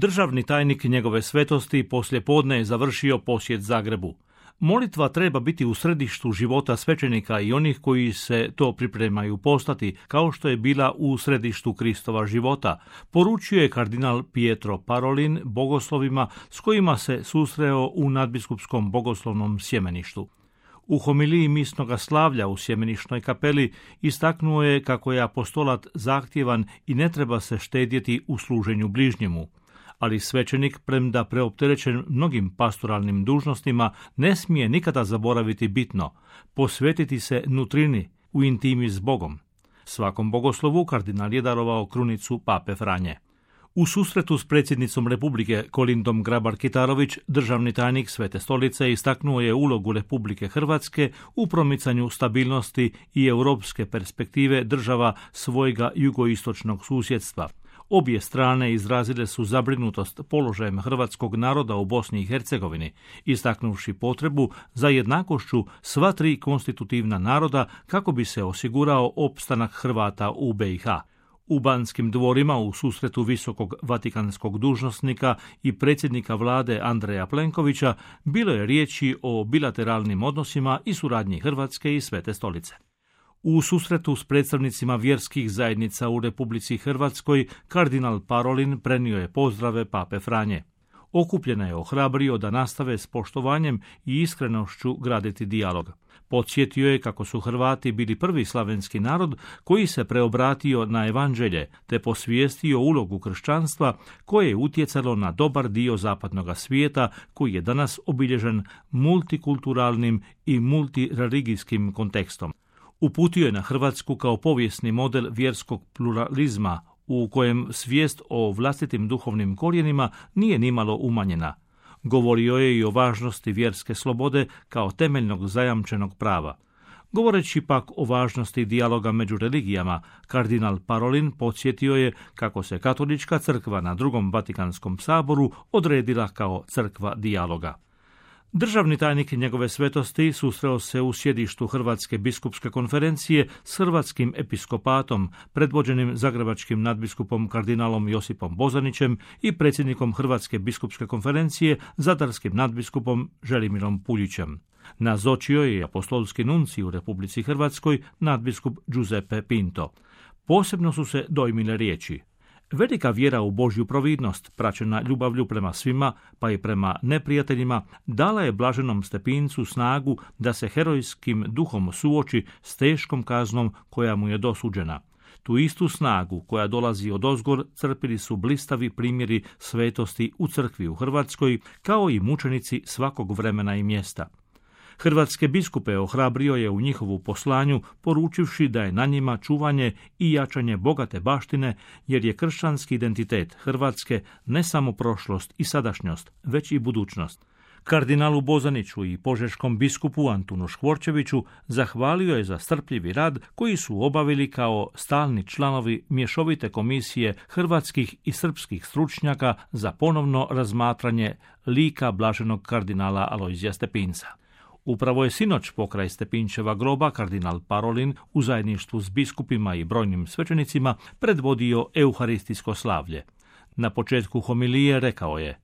Državni tajnik njegove svetosti poslijepodne je završio posjet Zagrebu. Molitva treba biti u središtu života svećenika i onih koji se to pripremaju postati, kao što je bila u središtu Kristova života, poručio je kardinal Pietro Parolin bogoslovima s kojima se susreo u nadbiskupskom bogoslovnom sjemeništu. U homiliji misnoga slavlja u sjemenišnoj kapeli istaknuo je kako je apostolat zahtjevan i ne treba se štedjeti u služenju bližnjemu. Ali svećenik, premda preopterećen mnogim pastoralnim dužnostima, ne smije nikada zaboraviti bitno, posvetiti se nutrini, u intimi s Bogom. Svakom bogoslovu kardinal je darovao krunicu pape Franje. U susretu s predsjednicom Republike Kolindom Grabar-Kitarović, državni tajnik Svete stolice istaknuo je ulogu Republike Hrvatske u promicanju stabilnosti i europske perspektive država svojega jugoistočnog susjedstva. Obje strane izrazile su zabrinutost položajem hrvatskog naroda u Bosni i Hercegovini, istaknuvši potrebu za jednakošću sva tri konstitutivna naroda kako bi se osigurao opstanak Hrvata u BiH. U Banskim dvorima u susretu visokog vatikanskog dužnosnika i predsjednika vlade Andreja Plenkovića bilo je riječi o bilateralnim odnosima i suradnji Hrvatske i Svete stolice. U susretu s predstavnicima vjerskih zajednica u Republici Hrvatskoj, kardinal Parolin prenio je pozdrave pape Franje. Okupljena je ohrabrio da nastave s poštovanjem i iskrenošću graditi dijalog. Podsjetio je kako su Hrvati bili prvi slavenski narod koji se preobratio na evanđelje te posvijestio ulogu kršćanstva koje je utjecalo na dobar dio zapadnog svijeta koji je danas obilježen multikulturalnim i multireligijskim kontekstom. Uputio je na Hrvatsku kao povijesni model vjerskog pluralizma u kojem svijest o vlastitim duhovnim korijenima nije nimalo umanjena. Govorio je i o važnosti vjerske slobode kao temeljnog zajamčenog prava. Govoreći pak o važnosti dijaloga među religijama, kardinal Parolin podsjetio je kako se Katolička crkva na Drugom Vatikanskom saboru odredila kao crkva dijaloga. Državni tajnik njegove svetosti susreo se u sjedištu Hrvatske biskupske konferencije s hrvatskim episkopatom, predvođenim zagrebačkim nadbiskupom kardinalom Josipom Bozanićem i predsjednikom Hrvatske biskupske konferencije zadarskim nadbiskupom Želimirom Puljićem. Nazočio je i apostolski nuncij u Republici Hrvatskoj nadbiskup Giuseppe Pinto. Posebno su se dojmile riječi: velika vjera u Božju providnost, praćena ljubavlju prema svima, pa i prema neprijateljima, dala je blaženom Stepincu snagu da se herojskim duhom suoči s teškom kaznom koja mu je dosuđena. Tu istu snagu koja dolazi odozgor crpili su blistavi primjeri svetosti u crkvi u Hrvatskoj, kao i mučenici svakog vremena i mjesta. Hrvatske biskupe ohrabrio je u njihovu poslanju, poručivši da je na njima čuvanje i jačanje bogate baštine, jer je kršćanski identitet Hrvatske ne samo prošlost i sadašnjost, već i budućnost. Kardinalu Bozaniću i požeškom biskupu Antunu Škvorčeviću zahvalio je za strpljivi rad koji su obavili kao stalni članovi mješovite komisije hrvatskih i srpskih stručnjaka za ponovno razmatranje lika blaženog kardinala Alojzija Stepinca. Upravo je sinoć pokraj Stepinčeva groba kardinal Parolin u zajedništvu s biskupima i brojnim svećenicima predvodio euharistijsko slavlje. Na početku homilije rekao je: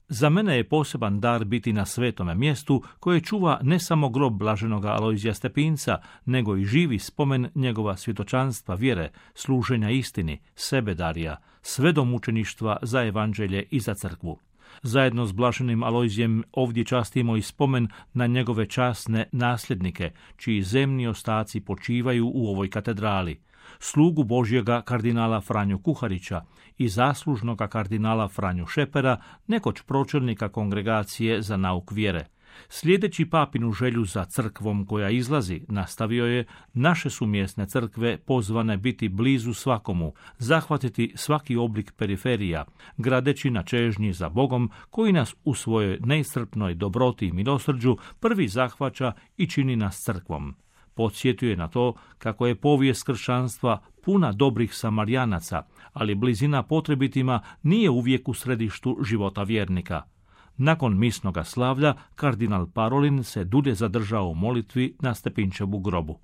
za mene je poseban dar biti na svetome mjestu koje čuva ne samo grob blaženoga Alojzija Stepinca, nego i živi spomen njegova svjedočanstva vjere, služenja istini, sebedarija, sve do mučeništva za evanđelje i za crkvu. Zajedno s blaženim Alojzijem ovdje častimo i spomen na njegove časne nasljednike, čiji zemni ostaci počivaju u ovoj katedrali, slugu Božjega kardinala Franju Kuharića i zaslužnoga kardinala Franju Šepera, nekoć pročelnika Kongregacije za nauk vjere. Slijedeći papinu želju za crkvom koja izlazi, nastavio je: naše su mjesne crkve pozvane biti blizu svakomu, zahvatiti svaki oblik periferija, gradeći na čežnji za Bogom koji nas u svojoj neiscrpnoj dobroti i milosrđu prvi zahvaća i čini nas crkvom. Podsjetio je na to kako je povijest kršćanstva puna dobrih Samarijanaca, ali blizina potrebitima nije uvijek u središtu života vjernika. Nakon misnoga slavlja, kardinal Parolin se dulje zadržao u molitvi na Stepinčevu grobu.